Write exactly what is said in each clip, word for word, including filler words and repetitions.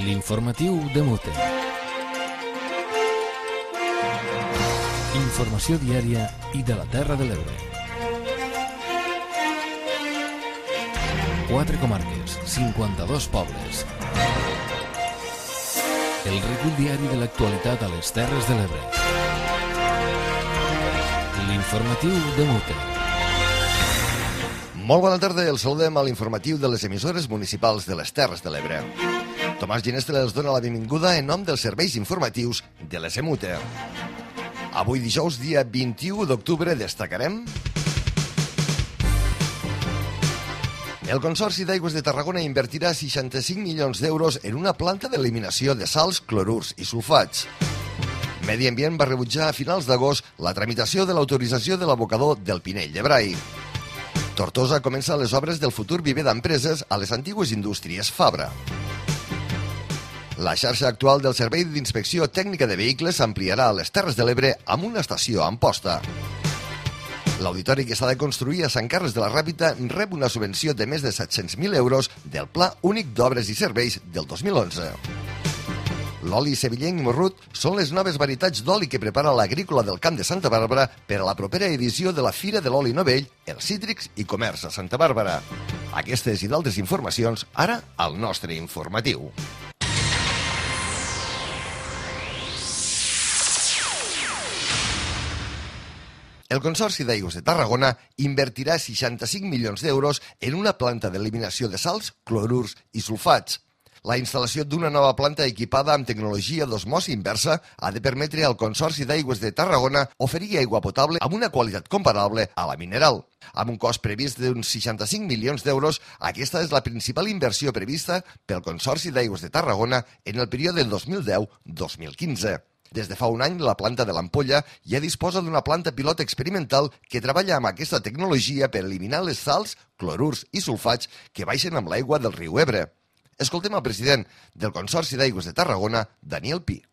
L'informatiu de Mute. Informació diària i de la Terra de l'Ebre. Quatre comarques, cinquanta-dos pobles. El recull diari de l'actualitat a les Terres de l'Ebre. L'informatiu de Mute. Molt bona tarda, el saludem a l'informatiu de les emissores municipals de les Terres de l'Ebre. Tomàs Ginestre els dona la benvinguda en nom dels serveis informatius de l'E S M U T E. Avui dijous, dia vint-i-u d'octubre, destacarem... El Consorci d'Aigües de Tarragona invertirà seixanta-cinc milions d'euros en una planta d'eliminació de sals, clorurs i sulfats. Medi Ambient va rebutjar a finals d'agost la tramitació de l'autorització de l'abocador del Pinell de Brai. Tortosa comença les obres del futur viver d'empreses a les antigues indústries Fabra. La xarxa actual del Servei d'Inspecció Tècnica de Vehicles s'ampliarà a les Terres de l'Ebre amb una estació a Amposta. L'auditori que s'ha de construir a Sant Carles de la Ràpita rep una subvenció de més de set-cents mil euros del Pla Únic d'Obres i Serveis del dos mil onze. L'oli sevillenc i morrut són les noves varietats d'oli que prepara l'Agrícola del Camp de Santa Bàrbara per a la propera edició de la Fira de l'Oli Novell, els Cítrics i Comerç a Santa Bàrbara. Aquestes i d'altres informacions, ara al nostre informatiu. El Consorci d'Aigües de Tarragona invertirà seixanta-cinc milions d'euros en una planta d'eliminació de sals, clorurs i sulfats. La instal·lació d'una nova planta equipada amb tecnologia d'osmosi inversa ha de permetre al Consorci d'Aigües de Tarragona oferir aigua potable amb una qualitat comparable a la mineral. Amb un cost previst d'uns seixanta-cinc milions d'euros, aquesta és la principal inversió prevista pel Consorci d'Aigües de Tarragona en el període dos mil deu a dos mil quinze. Des de fa un any, la planta de l'Ampolla ja disposa d'una planta pilot experimental que treballa amb aquesta tecnologia per eliminar les sals, clorurs i sulfats que baixen amb l'aigua del riu Ebre. Escoltem el president del Consorci d'Aigües de Tarragona, Daniel Pi.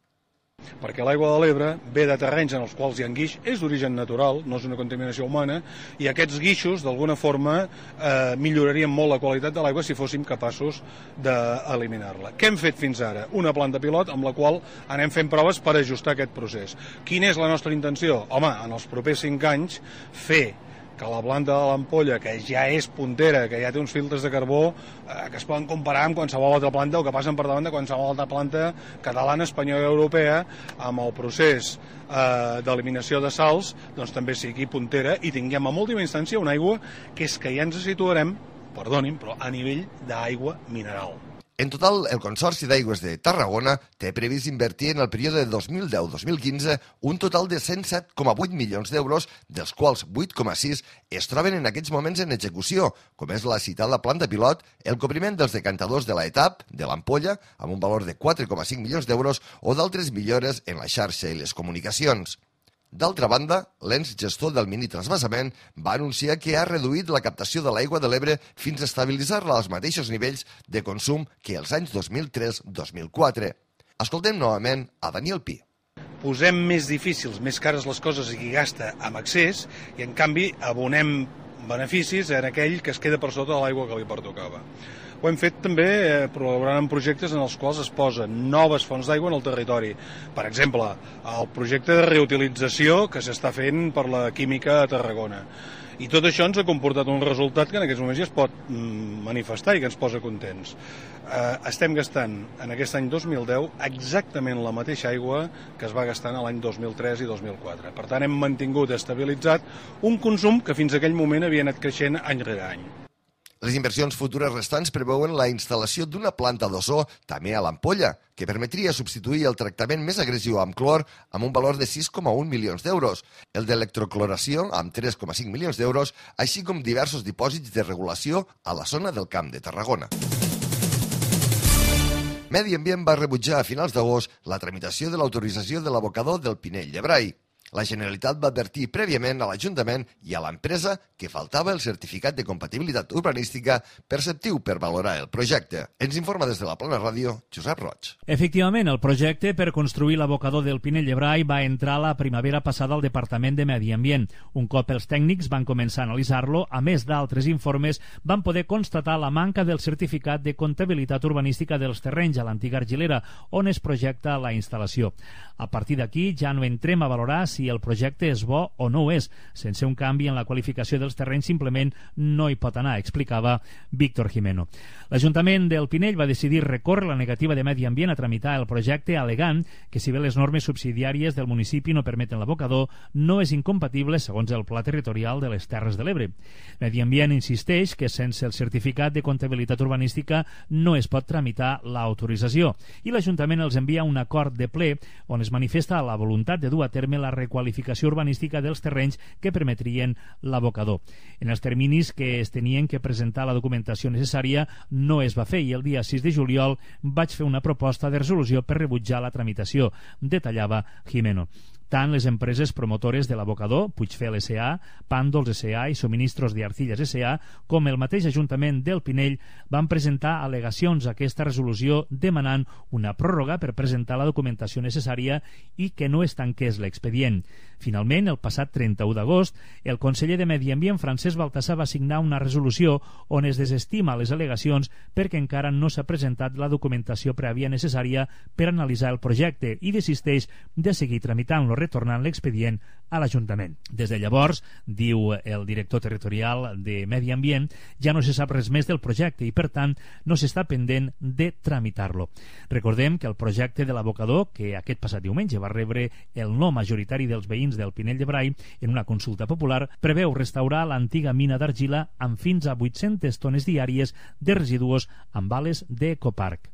Perquè l'aigua de l'Ebre ve de terrenys en els quals hi ha guix, és d'origen natural, no és una contaminació humana, i aquests guixos, d'alguna forma, eh, millorarien molt la qualitat de l'aigua si fóssim capaços d'eliminar-la. Què hem fet fins ara? Una planta pilot amb la qual anem fent proves per ajustar aquest procés. Quina és la nostra intenció? Home, en els propers cinc anys, fer que la planta de l'Ampolla, que ja és puntera, que ja té uns filtres de carbó eh, que es poden comparar amb qualsevol altra planta o que passen per davant de qualsevol altra planta catalana, espanyola i europea, amb el procés eh, d'eliminació de sals, doncs també sigui puntera i tinguem en última instància una aigua que és que ja ens situarem, perdonin, però a nivell d'aigua mineral. En total, el Consorci d'Aigües de Tarragona té previst invertir en el període dos mil deu a dos mil quinze un total de cent set coma vuit milions d'euros, dels quals vuit coma sis es troben en aquests moments en execució, com és la citada planta pilot, el cobriment dels decantadors de l'etap de l'Ampolla, amb un valor de quatre coma cinc milions d'euros, o d'altres millores en la xarxa i les comunicacions. D'altra banda, l'ens gestor del mini-transvasament va anunciar que ha reduït la captació de l'aigua de l'Ebre fins a estabilitzar-la als mateixos nivells de consum que els anys dos mil tres a dos mil quatre. Escoltem novament a Daniel Pi. Posem més difícils, més cares les coses i qui gasta amb excés, i en canvi abonem beneficis en aquell que es queda per sota de l'aigua que li pertocava. Ho hem fet també eh, col·laborant en projectes en els quals es posen noves fonts d'aigua en el territori. Per exemple, el projecte de reutilització que s'està fent per la química a Tarragona. I tot això ens ha comportat un resultat que en aquests moments ja es pot mm, manifestar i que ens posa contents. Eh, estem gastant en aquest any dos mil deu exactament la mateixa aigua que es va gastar l'any dos mil tres i dos mil quatre. Per tant, hem mantingut estabilitzat un consum que fins a aquell moment havia anat creixent any rere any. Les inversions futures restants preveuen la instal·lació d'una planta d'ozó també a l'Ampolla, que permetria substituir el tractament més agressiu amb clor amb un valor de sis coma un milions d'euros, el d'electrocloració amb tres coma cinc milions d'euros, així com diversos dipòsits de regulació a la zona del Camp de Tarragona. Medi Ambient va rebutjar a finals d'agost la tramitació de l'autorització de l'abocador del Pinell de Brai. La Generalitat va advertir prèviament a l'Ajuntament i a l'empresa que faltava el certificat de compatibilitat urbanística perceptiu per valorar el projecte. Ens informa des de la Plana Ràdio, Josep Roig. Efectivament, el projecte per construir l'abocador del Pinell de Brai va entrar la primavera passada al Departament de Medi Ambient. Un cop els tècnics van començar a analitzar-lo, a més d'altres informes, van poder constatar la manca del certificat de comptabilitat urbanística dels terrenys a l'antiga argilera, on es projecta la instal·lació. A partir d'aquí ja no entrem a valorar si el projecte és bo o no ho és. Sense un canvi en la qualificació dels terrenys simplement no hi pot anar, explicava Víctor Jimeno. L'Ajuntament del Pinell va decidir recórrer la negativa de Medi Ambient a tramitar el projecte al·legant que si bé les normes subsidiàries del municipi no permeten l'abocador, no és incompatible segons el Pla Territorial de les Terres de l'Ebre. Medi Ambient insisteix que sense el certificat de comptabilitat urbanística no es pot tramitar l'autorització i l'Ajuntament els envia un acord de ple on es manifesta la voluntat de dur a terme la requalificació urbanística dels terrenys que permetrien l'abocador. En els terminis que es tenien que presentar la documentació necessària no es va fer i el dia sis de juliol vaig fer una proposta de resolució per rebutjar la tramitació, detallava Jimeno. Tant les empreses promotores de l'abocador, Puigfel S A, Pàndols S A i Suministros de Arcillas S A, com el mateix Ajuntament del Pinell, van presentar al·legacions a aquesta resolució demanant una pròrroga per presentar la documentació necessària i que no es tanqués l'expedient. Finalment, el passat trenta-u d'agost, el conseller de Medi Ambient, Francesc Baltasar, va signar una resolució on es desestima les al·legacions perquè encara no s'ha presentat la documentació prèvia necessària per analitzar el projecte i desisteix de seguir tramitant-lo, retornant l'expedient a l'Ajuntament. Des de llavors, diu el director territorial de Medi Ambient, ja no se sap res més del projecte i, per tant, no s'està pendent de tramitar-lo. Recordem que el projecte de l'abocador, que aquest passat diumenge va rebre el no majoritari dels veïns del Pinell de Brai en una consulta popular, preveu restaurar l'antiga mina d'argila amb fins a vuit-centes tones diàries de residus amb bales d'Ecoparc.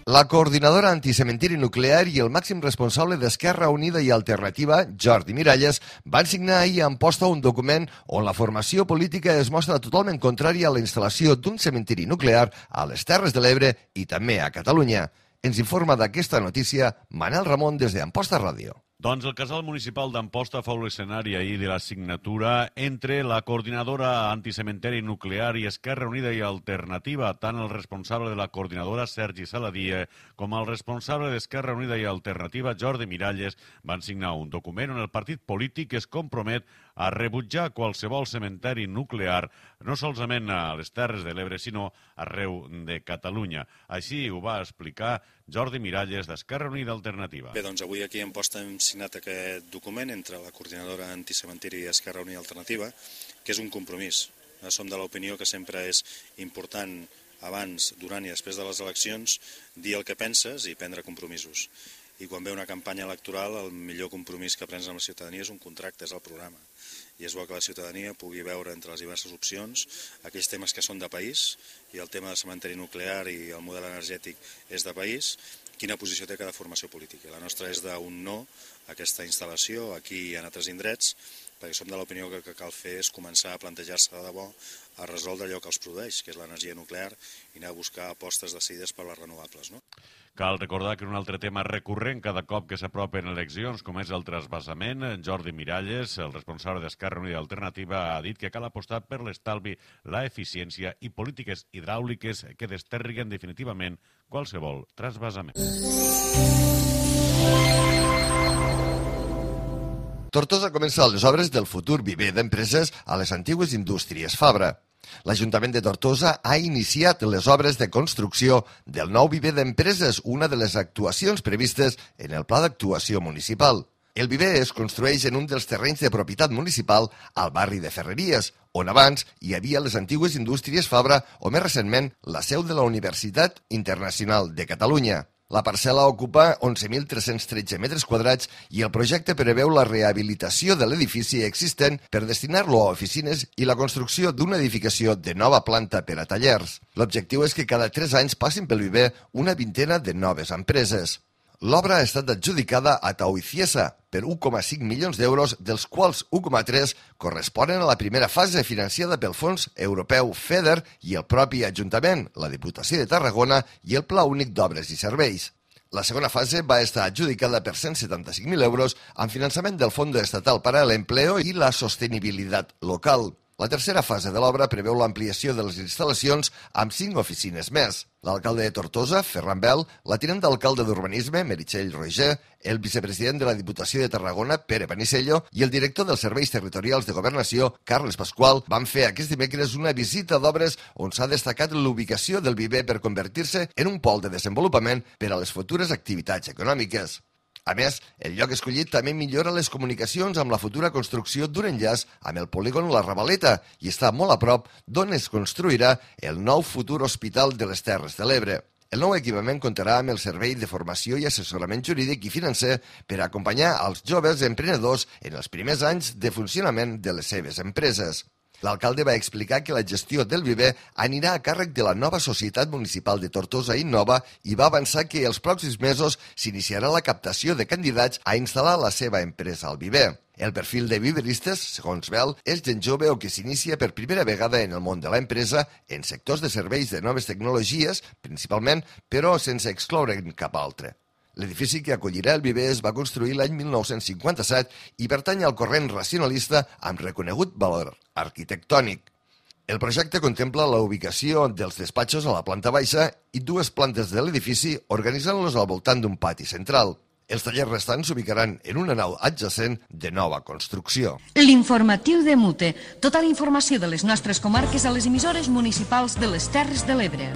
La coordinadora anticementiri nuclear i el màxim responsable d'Esquerra Unida i Alternativa, Jordi Miralles, van signar ahir a Amposta un document on la formació política es mostra totalment contrària a la instal·lació d'un cementiri nuclear a les Terres de l'Ebre i també a Catalunya. Ens informa d'aquesta notícia Manel Ramon des d'Amposta Ràdio. Doncs el casal municipal d'Amposta fou l'escenari ahir de la signatura entre la coordinadora anticementeri nuclear i Esquerra Unida i Alternativa. Tant el responsable de la coordinadora, Sergi Saladí, com el responsable d'Esquerra Unida i Alternativa, Jordi Miralles, van signar un document on el partit polític es compromet a rebutjar qualsevol cementeri nuclear, no solament a les Terres de l'Ebre, sinó arreu de Catalunya. Així ho va explicar Jordi Miralles, d'Esquerra Unida i Alternativa. Bé, doncs avui aquí a Amposta hem signat aquest document entre la coordinadora anticementiri i Esquerra Unida i Alternativa, que és un compromís. Som de l'opinió que sempre és important abans, durant i després de les eleccions dir el que penses i prendre compromisos. I quan ve una campanya electoral, el millor compromís que prens amb la ciutadania és un contracte, és el programa. I és bo que la ciutadania pugui veure entre les diverses opcions aquells temes que són de país, i el tema del cementeri nuclear i el model energètic és de país, quina posició té cada formació política. La nostra és d'un no a aquesta instal·lació aquí i en altres indrets, perquè som de l'opinió que el que cal fer és començar a plantejar-se de debò a resoldre allò que els produeix, que és l'energia nuclear, i anar a buscar apostes decidides per les renovables, no? Cal recordar que un altre tema recurrent cada cop que s'apropen eleccions, com és el trasbassament, Jordi Miralles, el responsable d'Esquerra Unida i Alternativa, ha dit que cal apostar per l'estalvi, la eficiència i polítiques hidràuliques que desterriguen definitivament qualsevol trasbassament. Tortosa comença les obres del futur viver d'empreses a les antigues indústries Fabra. L'Ajuntament de Tortosa ha iniciat les obres de construcció del nou viver d'empreses, una de les actuacions previstes en el Pla d'Actuació Municipal. El viver es construeix en un dels terrenys de propietat municipal al barri de Ferreries, on abans hi havia les antigues indústries Fabra o més recentment la seu de la Universitat Internacional de Catalunya. La parcel·la ocupa onze mil tres-cents tretze metres quadrats i el projecte preveu la rehabilitació de l'edifici existent per destinar-lo a oficines i la construcció d'una edificació de nova planta per a tallers. L'objectiu és que cada tres anys passin pel viver una vintena de noves empreses. L'obra ha estat adjudicada a Tauiciesa per un coma cinc milions d'euros, dels quals un coma tres corresponen a la primera fase financiada pel Fons Europeu FEDER i el propi Ajuntament, la Diputació de Tarragona i el Pla Únic d'Obres i Serveis. La segona fase va estar adjudicada per cent setanta-cinc mil euros amb finançament del Fondo Estatal para el Empleo i la Sostenibilitat Local. La tercera fase de l'obra preveu l'ampliació de les instal·lacions amb cinc oficines més. L'alcalde de Tortosa, Ferran Bel, la tinent d'alcalde d'Urbanisme, Meritxell Roger, el vicepresident de la Diputació de Tarragona, Pere Panisello, i el director dels Serveis Territorials de Governació, Carles Pasqual, van fer aquest dimecres una visita d'obres on s'ha destacat l'ubicació del viver per convertir-se en un pol de desenvolupament per a les futures activitats econòmiques. A més, el lloc escollit també millora les comunicacions amb la futura construcció d'un enllaç amb el polígon La Ravaleta i està molt a prop d'on es construirà el nou futur Hospital de les Terres de l'Ebre. El nou equipament comptarà amb el servei de formació i assessorament jurídic i financer per acompanyar als joves emprenedors en els primers anys de funcionament de les seves empreses. L'alcalde va explicar que la gestió del viver anirà a càrrec de la nova Societat Municipal de Tortosa Innova i va avançar que els pròxims mesos s'iniciarà la captació de candidats a instal·lar la seva empresa al viver. El perfil de viveristes, segons Bel, és gent jove o que s'inicia per primera vegada en el món de l'empresa en sectors de serveis de noves tecnologies, principalment, però sense excloure'n cap altre. L'edifici que acollirà el viver es va construir l'any mil nou-cents cinquanta-set i pertany al corrent racionalista amb reconegut valor arquitectònic. El projecte contempla la ubicació dels despatxos a la planta baixa i dues plantes de l'edifici organitzant-los al voltant d'un pati central. Els tallers restants s'ubicaran en una nau adjacent de nova construcció. L'informatiu de Mute. Tota la informació de les nostres comarques a les emissores municipals de les Terres de l'Ebre.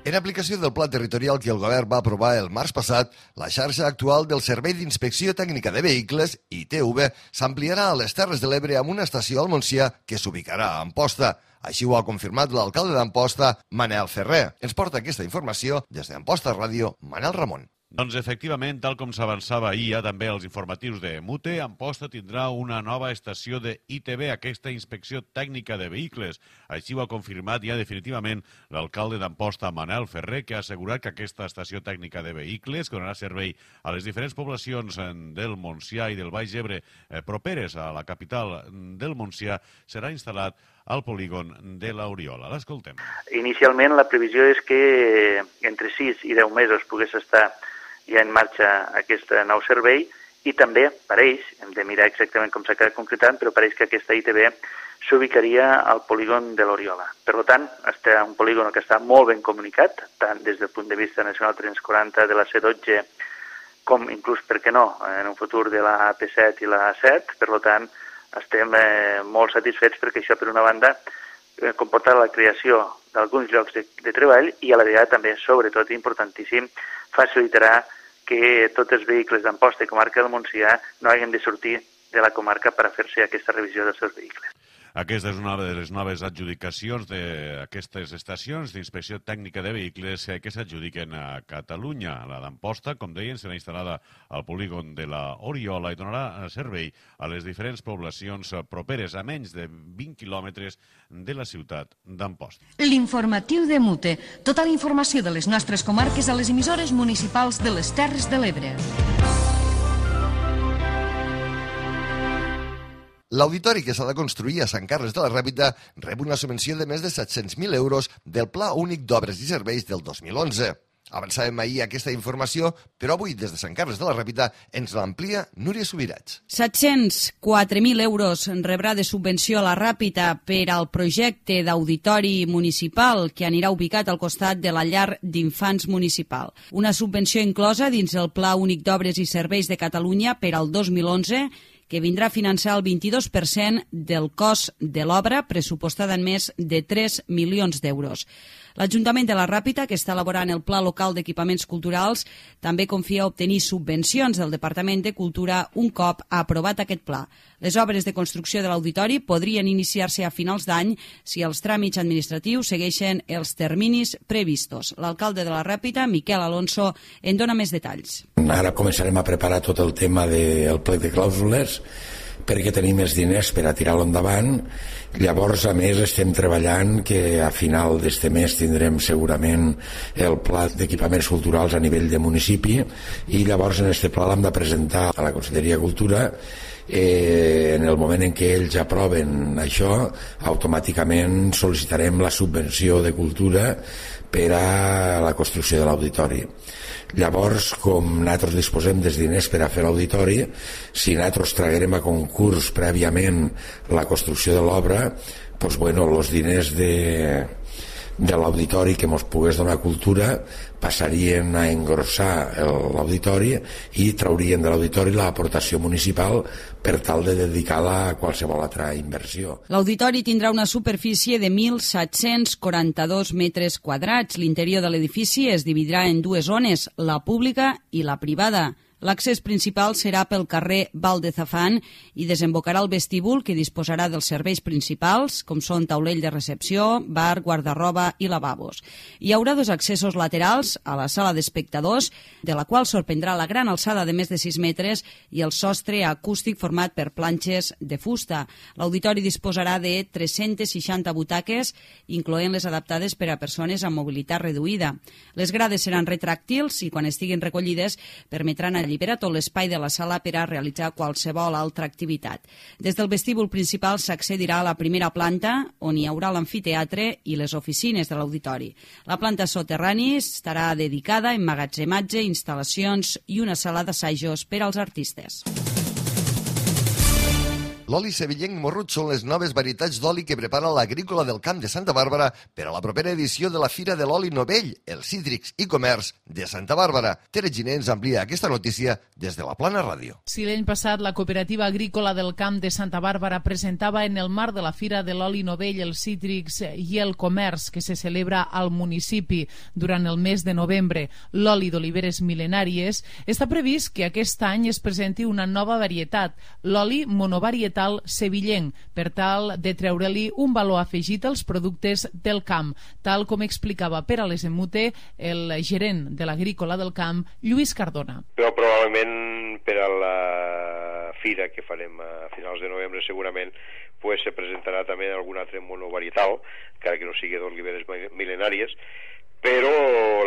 En aplicació del pla territorial que el govern va aprovar el març passat, la xarxa actual del Servei d'Inspecció Tècnica de Vehicles, I T V, s'ampliarà a les Terres de l'Ebre amb una estació al Montsià que s'ubicarà a Amposta. Així ho ha confirmat l'alcalde d'Amposta, Manel Ferrer. Ens porta aquesta informació des d'Amposta Ràdio, Manel Ramon. Doncs efectivament, tal com s'avançava ahir ja també als informatius de Mute, Amposta tindrà una nova estació de I T V, aquesta inspecció tècnica de vehicles. Així ho ha confirmat ja definitivament l'alcalde d'Amposta, Manel Ferrer, que ha assegurat que aquesta estació tècnica de vehicles, que donarà servei a les diferents poblacions del Montsià i del Baix Ebre eh, properes a la capital del Montsià, serà instal·lat al polígon de l'Oriola. L'escoltem. Inicialment la previsió és que entre sis i deu mesos pogués estar ja en marxa aquest nou servei i també pareix, hem de mirar exactament com s'ha quedat concretant, però pareix que aquesta I T V s'ubicaria al polígon de l'Oriola. Per tant, és un polígon que està molt ben comunicat, tant des del punt de vista nacional tres quaranta de la C dotze com inclús, per què no, en un futur de la A P set i la A set. Per tant, estem eh, molt satisfets perquè això, per una banda, eh, comporta la creació d'alguns llocs de, de treball i a la vegada també, sobretot, importantíssim, facilitarà que tots els vehicles d'Amposta i comarca del Montsià no hagin de sortir de la comarca per a fer-se aquesta revisió dels seus vehicles. Aquesta és una de les noves adjudicacions d'aquestes estacions d'inspecció tècnica de vehicles que s'adjudiquen a Catalunya. La d'Amposta, com deien, serà instal·lada al polígon de la Oriola i donarà servei a les diferents poblacions properes a menys de vint quilòmetres de la ciutat d'Amposta. L'informatiu de Mute. Tota la informació de les nostres comarques a les emissores municipals de les Terres de l'Ebre. L'auditori que s'ha de construir a Sant Carles de la Ràpita rep una subvenció de més de set-cents mil euros del Pla Únic d'Obres i Serveis del dos mil onze. Avançàvem ahir aquesta informació, però avui des de Sant Carles de la Ràpita ens l'amplia Núria Subirats. set-cents quatre mil euros rebrà de subvenció a la Ràpita per al projecte d'auditori municipal que anirà ubicat al costat de la llar d'infants municipal. Una subvenció inclosa dins el Pla Únic d'Obres i Serveis de Catalunya per al dos mil onze, que vindrà a finançar el vint-i-dos per cent del cost de l'obra, pressupostada en més de tres milions d'euros. L'Ajuntament de la Ràpita, que està elaborant el Pla Local d'Equipaments Culturals, també confia obtenir subvencions del Departament de Cultura un cop ha aprovat aquest pla. Les obres de construcció de l'auditori podrien iniciar-se a finals d'any si els tràmits administratius segueixen els terminis previstos. L'alcalde de la Ràpita, Miquel Alonso, en dona més detalls. Ara començarem a preparar tot el tema del plec de clàusules perquè tenim més diners per a tirar-lo endavant. Llavors, a més, estem treballant que a final d'este mes tindrem segurament el pla d'equipaments culturals a nivell de municipi i llavors en este pla l'hem de presentar a la Conselleria de Cultura. Eh, en el moment en què ells aproven això, automàticament sol·licitarem la subvenció de cultura per a la construcció de l'auditori. Llavors, com nosaltres disposem dels diners per a fer l'auditori, si nosaltres traguerem a concurs prèviament la construcció de l'obra, doncs, bueno, els diners de, de l'auditori que ens pogués donar cultura passarien a engrossar l'auditori i traurien de l'auditori l'aportació municipal per tal de dedicar-la a qualsevol altra inversió. L'auditori tindrà una superfície de mil set-cents quaranta-dos metres quadrats. L'interior de l'edifici es dividirà en dues zones, la pública i la privada. L'accés principal serà pel carrer Val de Zafán i desembocarà al vestíbul, que disposarà dels serveis principals, com són taulell de recepció, bar, guardarroba i lavabos. Hi haurà dos accessos laterals a la sala d'espectadors, de la qual sorprendrà la gran alçada de més de sis metres i el sostre acústic format per planxes de fusta. L'auditori disposarà de tres-centes seixanta butaques, incloent les adaptades per a persones amb mobilitat reduïda. Les grades seran retràctils i, quan estiguin recollides, permetran alliberar tot l'espai de la sala per a realitzar qualsevol altra activitat. Des del vestíbul principal s'accedirà a la primera planta, on hi haurà l'amfiteatre i les oficines de l'auditori. La planta soterrani estarà dedicada a emmagatzematge, instal·lacions i una sala d'assajos per als artistes. L'oli sevillenc morrut són les noves varietats d'oli que prepara l'Agrícola del Camp de Santa Bàrbara per a la propera edició de la Fira de l'Oli Novell, el Cítrics i Comerç de Santa Bàrbara. Tere Giner ens amplia aquesta notícia des de la Plana Ràdio. Si l'any passat la Cooperativa Agrícola del Camp de Santa Bàrbara presentava en el marc de la Fira de l'Oli Novell, el Cítrics i el Comerç, que se celebra al municipi durant el mes de novembre, l'oli d'oliveres mil·lenàries, està previst que aquest any es presenti una nova varietat, l'oli monovarietal sevillenc, per tal de treure-li un valor afegit als productes del camp, tal com explicava per a les Emute el gerent de l'Agrícola del Camp, Lluís Cardona. Però probablement per a la fira que farem a finals de novembre segurament pues, se presentarà també algun altre monovarietal, encara que no sigui d'oliveres mil·lenàries, però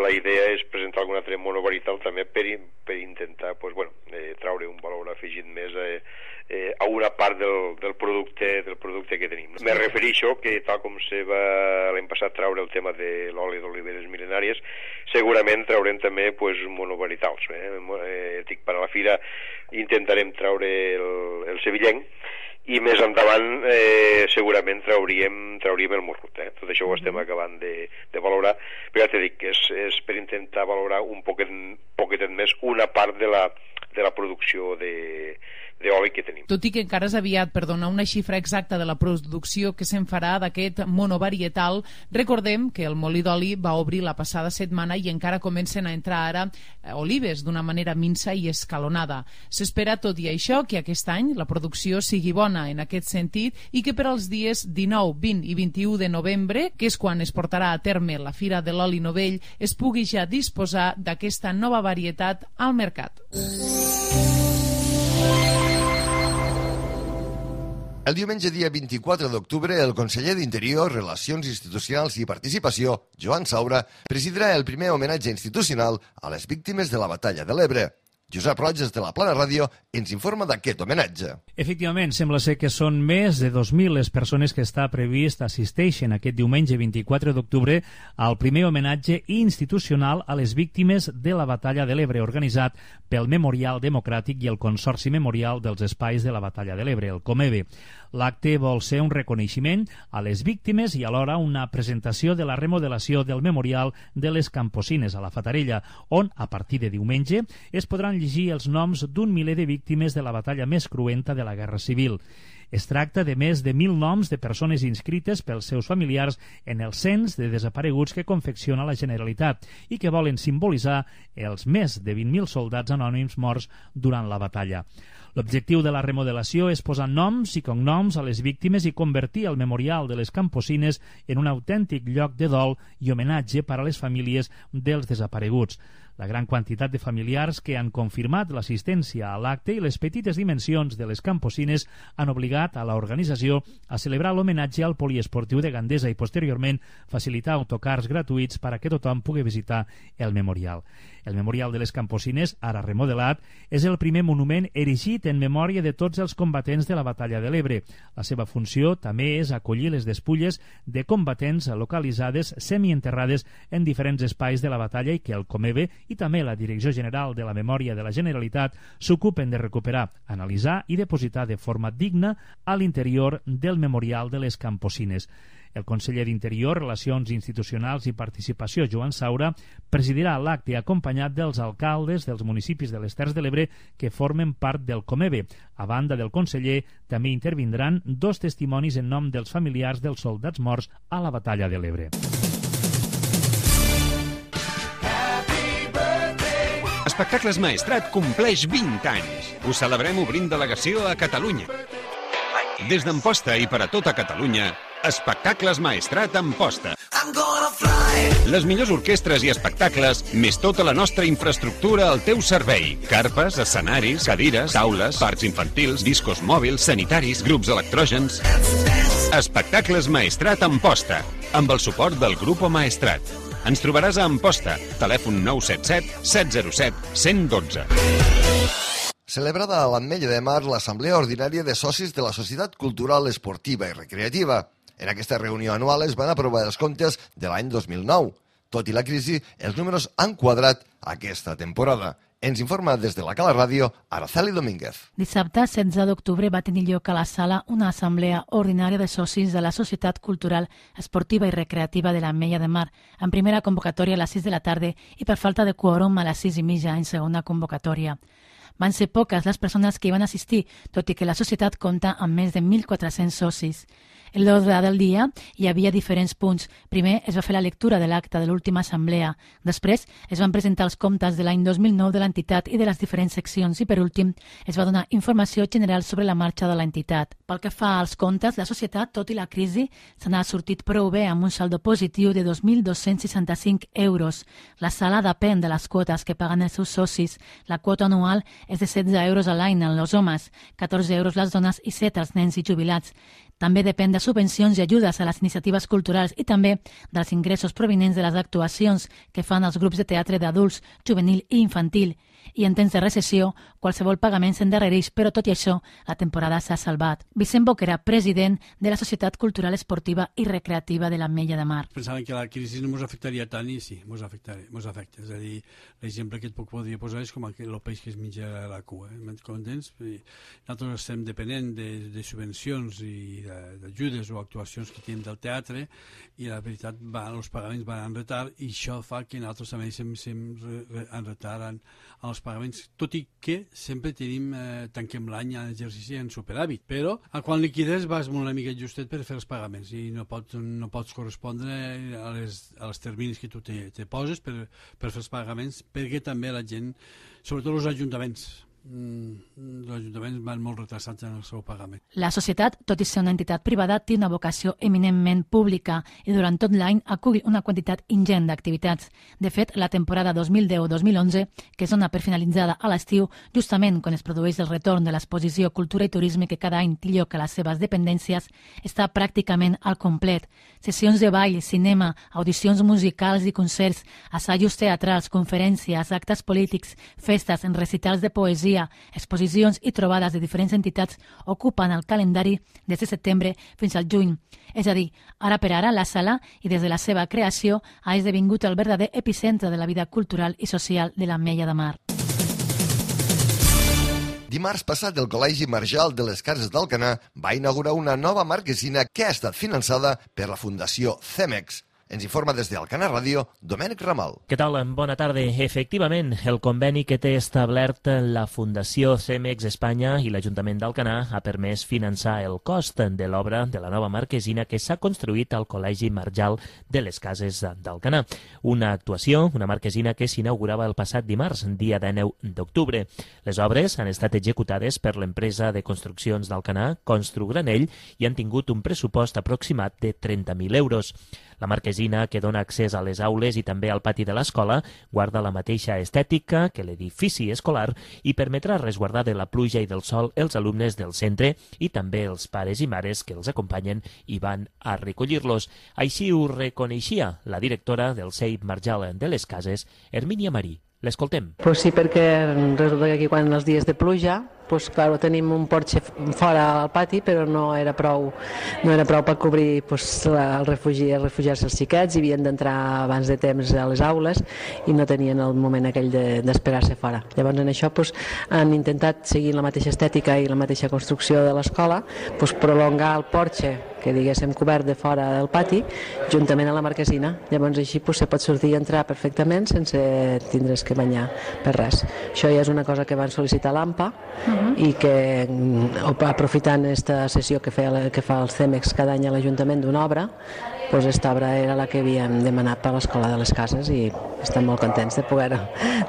la idea és presentar algun altre monovarietal també per, per intentar pues, bueno, eh, traure un valor afegit més eh, eh, a una part del, del, producte, del producte que tenim. Me refereixo que tal com se va l'any passat traure el tema de l'oli d'oliveres mil·lenàries, segurament traurem també pues, monovarietals. Eh? Eh, dic, per a la fira intentarem traure el, el sevillenc, i més endavant eh, segurament trauríem, trauríem el morrut. Eh? Tot això ho estem acabant de, de valorar, però ja t'he dit que és, és per intentar valorar un poquet, poquetet més una part de la, de la producció de d'oli que tenim. Tot i que encara és aviat per donar una xifra exacta de la producció que se'n farà d'aquest monovarietal, recordem que el molí d'oli va obrir la passada setmana i encara comencen a entrar ara olives d'una manera minsa i escalonada. S'espera, tot i això, que aquest any la producció sigui bona en aquest sentit i que per als dies dinou, vint i vint-i-u de novembre, que és quan es portarà a terme la Fira de l'Oli Novell, es pugui ja disposar d'aquesta nova varietat al mercat. El diumenge dia vint-i-quatre d'octubre, el conseller d'Interior, Relacions Institucionals i Participació, Joan Saura, presidirà el primer homenatge institucional a les víctimes de la Batalla de l'Ebre. Josep Roig, de la Plana Ràdio, ens informa d'aquest homenatge. Efectivament, sembla ser que són més de dos mil les persones que està previst assisteixen aquest diumenge vint-i-quatre d'octubre al primer homenatge institucional a les víctimes de la Batalla de l'Ebre, organitzat pel Memorial Democràtic i el Consorci Memorial dels Espais de la Batalla de l'Ebre, el Comebe. L'acte vol ser un reconeixement a les víctimes i alhora una presentació de la remodelació del Memorial de les Camposines a la Fatarella, on, a partir de diumenge, es podran llegir els noms d'un miler de víctimes de la batalla més cruenta de la Guerra Civil. Es tracta de més de mil noms de persones inscrites pels seus familiars en el cens de desapareguts que confecciona la Generalitat i que volen simbolitzar els més de vint mil soldats anònims morts durant la batalla. L'objectiu de la remodelació és posar noms i cognoms a les víctimes i convertir el Memorial de les Camposines en un autèntic lloc de dol i homenatge per a les famílies dels desapareguts. La gran quantitat de familiars que han confirmat l'assistència a l'acte i les petites dimensions de les camposines han obligat a l'organització a celebrar l'homenatge al poliesportiu de Gandesa i posteriorment facilitar autocars gratuïts per a que tothom pugui visitar el memorial. El Memorial de les Camposines, ara remodelat, és el primer monument erigit en memòria de tots els combatents de la Batalla de l'Ebre. La seva funció també és acollir les despulles de combatents localitzades semienterrades en diferents espais de la batalla i que el Comebe i també la Direcció General de la Memòria de la Generalitat s'ocupen de recuperar, analitzar i depositar de forma digna a l'interior del Memorial de les Camposines. El conseller d'Interior, Relacions Institucionals i Participació, Joan Saura, presidirà l'acte acompanyat dels alcaldes dels municipis de les Terres de l'Ebre que formen part del Comebe. A banda del conseller, també intervindran dos testimonis en nom dels familiars dels soldats morts a la Batalla de l'Ebre. Espectacles Maestrat compleix vint anys. Ho celebrem obrint delegació a Catalunya. Des d'Amposta i per a tota Catalunya, Espectacles Maestrat Amposta. Les millors orquestres i espectacles, més tota la nostra infraestructura al teu servei. Carpes, escenaris, cadires, taules, parcs infantils, discos mòbils, sanitaris, grups electrògens. Espectacles Maestrat Amposta, amb el suport del Grupo Maestrat. Ens trobaràs a Amposta, telèfon nou set set set zero set un zero un dos. Celebrada a l'Ametlla de Mar l'Assemblea Ordinària de Socis de la Societat Cultural, Esportiva i Recreativa. En aquesta reunió anual es van aprovar els comptes de l'any dos mil nou. Tot i la crisi, els números han quadrat aquesta temporada. Ens informa des de la Cala Ràdio, Araceli Domínguez. Dissabte, setze d'octubre, va tenir lloc a la sala una assemblea ordinària de socis de la Societat Cultural, Esportiva i Recreativa de l'Ametlla de Mar, en primera convocatòria a les sis de la tarda i per falta de quòrum a les sis i mitja en segona convocatòria. Van ser poques les persones que hi van assistir, tot i que la societat compta amb més de mil quatre-cents socis. En l'ordre del dia hi havia diferents punts. Primer es va fer la lectura de l'acte de l'última assemblea. Després es van presentar els comptes de l'any dos mil nou de l'entitat i de les diferents seccions i, per últim, es va donar informació general sobre la marxa de l'entitat. Pel que fa als comptes, la societat, tot i la crisi, se n'ha sortit prou bé amb un saldo positiu de dos mil dos-cents seixanta-cinc euros. La sala depèn de les quotes que paguen els seus socis. La quota anual és de setze euros a l'any en els homes, catorze euros les dones i set els nens i jubilats. També depèn de subvencions i ajudes a les iniciatives culturals i també dels ingressos provinents de les actuacions que fan els grups de teatre d'adults, juvenil i infantil. I en temps de recessió, qualsevol pagament s'endarrereix, però tot i això, la temporada s'ha salvat. Vicent Boquera, president de la Societat Cultural Esportiva i Recreativa de l'Ametlla de Mar. Pensaven que la crisi no ens afectaria tant i sí, ens afecta. És a dir, l'exemple que et puc podria posar és com el peix que es menja la cua. Eh? M'entens? Nosaltres estem depenent de, de subvencions i d'ajudes o actuacions que tenim del teatre i la veritat, van, els pagaments van en retard i això fa que nosaltres també estem, estem en retard en, en els pagaments, tot i que sempre tenim, eh, tanquem l'any en exercici en superàvit, però a quan liquides vas una mica justet per fer els pagaments i no pots, no pots correspondre a les, a les terminis que tu te, te poses per, per fer els pagaments, perquè també la gent, sobretot els ajuntaments, els ajuntaments van molt retrasats en el seu pagament. La societat, tot i ser una entitat privada, té una vocació eminentment pública i durant tot l'any acull una quantitat ingent d'activitats. De fet, la temporada dos mil deu dos mil onze, que es dona per finalitzada a l'estiu, justament quan es produeix el retorn de l'exposició Cultura i Turisme que cada any té lloc a les seves dependències, està pràcticament al complet. Sessions de ball, cinema, audicions musicals i concerts, assajos teatrals, conferències, actes polítics, festes, recitals de poesia, exposicions i trobades de diferents entitats ocupen el calendari des de setembre fins al juny. És a dir, ara per ara, la sala, i des de la seva creació, ha esdevingut el verdader epicentre de la vida cultural i social de l'Ametlla de Mar. Dimarts passat, el Col·legi Marjal de les Cases d'Alcanar va inaugurar una nova marquesina que ha estat finançada per la Fundació CEMEX. Ens informa des d'Alcanar Ràdio, Domènec Ramal. Què tal? Bona tarda. Efectivament, el conveni que té establert la Fundació CEMEX Espanya i l'Ajuntament d'Alcanar ha permès finançar el cost de l'obra de la nova marquesina que s'ha construït al Col·legi Marjal de les Cases d'Alcanar. Una actuació, una marquesina que s'inaugurava el passat dimarts, dia dinou d'octubre. Les obres han estat executades per l'empresa de construccions d'Alcanar, Construgranell, i han tingut un pressupost aproximat de trenta mil euros. La marquesina marquesina que dona accés a les aules i també al pati de l'escola guarda la mateixa estètica que l'edifici escolar i permetrà resguardar de la pluja i del sol els alumnes del centre i també els pares i mares que els acompanyen i van a recollir-los. Així ho reconeixia la directora del C E I P Marjal de les Cases, Hermínia Marí. L'escoltem. Pues sí, perquè resulta que aquí quan els dies de pluja, pues claro, tenim un porxe fora al pati, però no era prou, no era prou per cobrir pues, el refugi, el refugiar-se els xiquets, i havien d'entrar abans de temps a les aules i no tenien el moment aquell d'esperar-se de, fora. Llavors en això pues, han intentat seguir la mateixa estètica i la mateixa construcció de l'escola, pues, prolongar el porxe que diguéssim cobert de fora del pati, juntament a la marquesina. Llavors així pues, se pot sortir i entrar perfectament sense tindre's que banyar per res. Això ja és una cosa que van sol·licitar l'A M P A uh-huh. i que, aprofitant aquesta sessió que, feia, que fa el CEMEX cada any a l'Ajuntament d'una obra, doncs aquesta obra era la que havíem demanat per l'Escola de les Cases i estem molt contents de poder-ho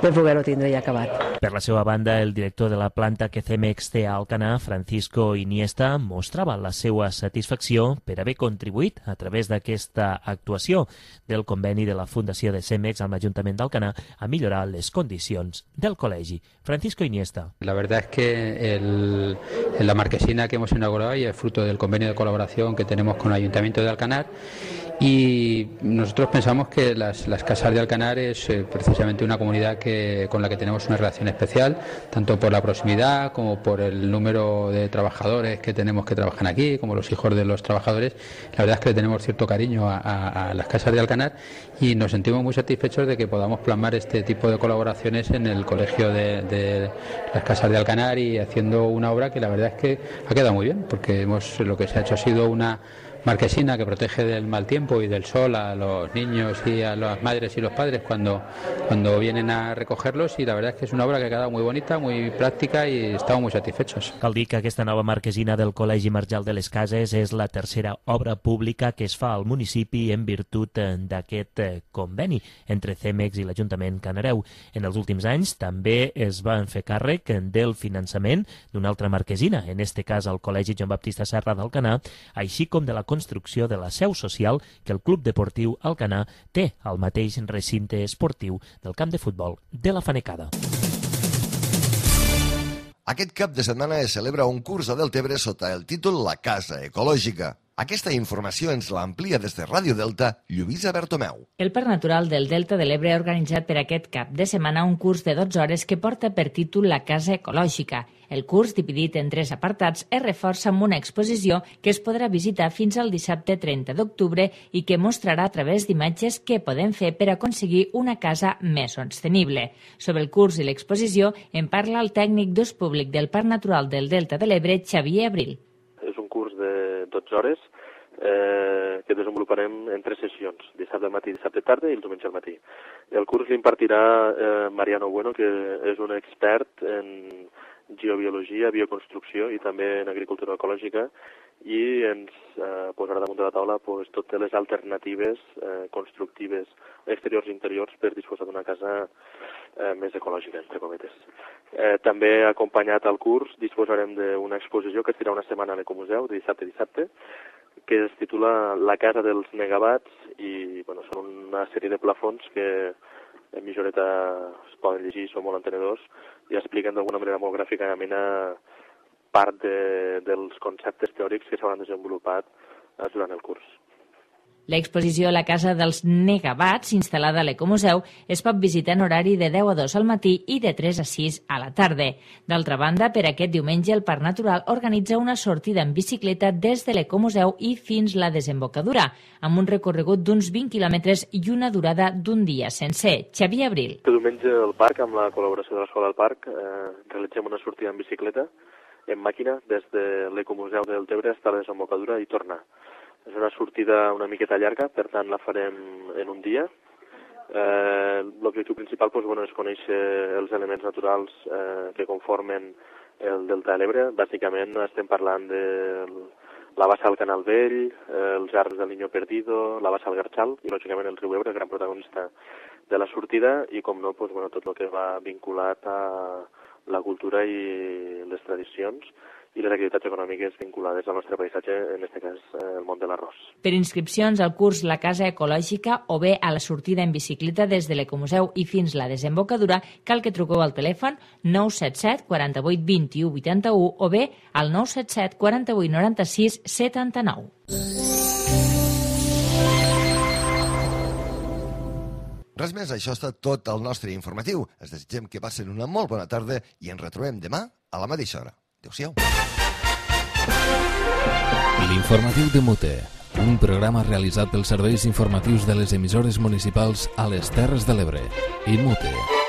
de poder-ho tindre ja acabat. Per la seva banda, el director de la planta que CEMEX té a Alcanar, Francisco Iniesta, mostrava la seva satisfacció per haver contribuït a través d'aquesta actuació del conveni de la Fundació de CEMEX amb l'Ajuntament d'Alcanar a millorar les condicions del col·legi. Francisco Iniesta. La verdad es que el, la marquesina que hemos inaugurado y es fruto del convenio de colaboración que tenemos con el Ayuntamiento de Alcanar. Y nosotros pensamos que las, las Casas de Alcanar es eh, precisamente una comunidad que, con la que tenemos una relación especial, tanto por la proximidad como por el número de trabajadores que tenemos que trabajan aquí, como los hijos de los trabajadores. La verdad es que le tenemos cierto cariño a, a, a las Casas de Alcanar y nos sentimos muy satisfechos de que podamos plasmar este tipo de colaboraciones en el colegio de, de las Casas de Alcanar y haciendo una obra que la verdad es que ha quedado muy bien, porque hemos, lo que se ha hecho ha sido una marquesina que protege del mal tiempo y del sol a los niños y a las madres y los padres cuando, cuando vienen a recogerlos, y la verdad es que es una obra que ha quedado muy bonita, muy práctica y estamos muy satisfechos. Cal dir que aquesta nova marquesina del Col·legi Marjal de les Cases és la tercera obra pública que es fa al municipi en virtut d'aquest conveni entre CEMEX i l'Ajuntament Canareu. En els últims anys també es van fer càrrec del finançament d'una altra marquesina, en este cas al Col·legi Joan Baptista Serra d'Alcanar, així com de la construcció de la seu social que el Club Deportiu Alcanar té al mateix recinte esportiu del camp de futbol de la Fanecada. Aquest cap de setmana es celebra un curs a Deltebre sota el títol La Casa Ecològica. Aquesta informació ens l'amplia des de Ràdio Delta, Lluïsa Bertomeu. El Parc Natural del Delta de l'Ebre ha organitzat per aquest cap de setmana un curs de dotze hores que porta per títol La Casa Ecològica. El curs, dividit en tres apartats, es reforça amb una exposició que es podrà visitar fins al dissabte trenta d'octubre i que mostrarà a través d'imatges què podem fer per aconseguir una casa més sostenible. Sobre el curs i l'exposició en parla el tècnic d'ús públic del Parc Natural del Delta de l'Ebre, Xavier Abril. És un curs de dotze hores eh, que desenvoluparem en tres sessions, dissabte al matí, dissabte tarda i el diumenge al matí. El curs l'impartirà eh, Mariano Bueno, que és un expert en geobiologia, bioconstrucció i també en agricultura ecològica, i ens eh, posarà damunt de la taula pues, totes les alternatives eh, constructives exteriors i interiors per disposar d'una casa eh, més ecològica, entre cometes. Eh, també acompanyat al curs disposarem d'una exposició que estirà una setmana a l'Ecomuseu, de dissabte a dissabte, que es titula La casa dels negabats, i bueno, són una sèrie de plafons que en mitjoreta es poden llegir, són molt entenedors i expliquen d'alguna manera molt gràficament part de, dels conceptes teòrics que s'hauran desenvolupat durant el curs. L'exposició La Casa dels Negabats, instal·lada a l'Ecomuseu, es pot visitar en horari de deu a dos al matí i de tres a sis a la tarda. D'altra banda, per aquest diumenge el Parc Natural organitza una sortida en bicicleta des de l'Ecomuseu i fins la desembocadura, amb un recorregut d'uns vint quilòmetres i una durada d'un dia sencer. Xavier Abril. El diumenge al parc, amb la col·laboració de l'Escola del Parc, eh, realitzem una sortida en bicicleta, en màquina, des de l'Ecomuseu del Deltebre fins a la desembocadura i tornar. És una sortida una miqueta llarga, per tant la farem en un dia. Eh, L'objectiu principal doncs, bueno, és conèixer els elements naturals eh, que conformen el Delta de l'Ebre. Bàsicament estem parlant de la bassa del Canal Vell, eh, els arbres del Niño Perdido, la bassa del Garxal i, lògicament, el riu Ebre, el gran protagonista de la sortida, i, com no, doncs, bueno, tot el que va vinculat a la cultura i les tradicions i les activitats econòmiques vinculades al nostre paisatge, en aquest cas el món de l'arròs. Per inscripcions al curs La Casa Ecològica o bé a la sortida en bicicleta des de l'Ecomuseu i fins la desembocadura, cal que truqueu al telèfon nou set set quaranta-vuit vint-i-u vuitanta-u o bé al nou set set quaranta-vuit noranta-sis setanta-nou. Res més, això ha estat tot el nostre informatiu. Es desitgem que passen una molt bona tarda i ens retrobem demà a la mateixa hora. Adéu-siau. L'informatiu de Mute, un programa realitzat pels serveis informatius de les emissores municipals a les Terres de l'Ebre. I Mute.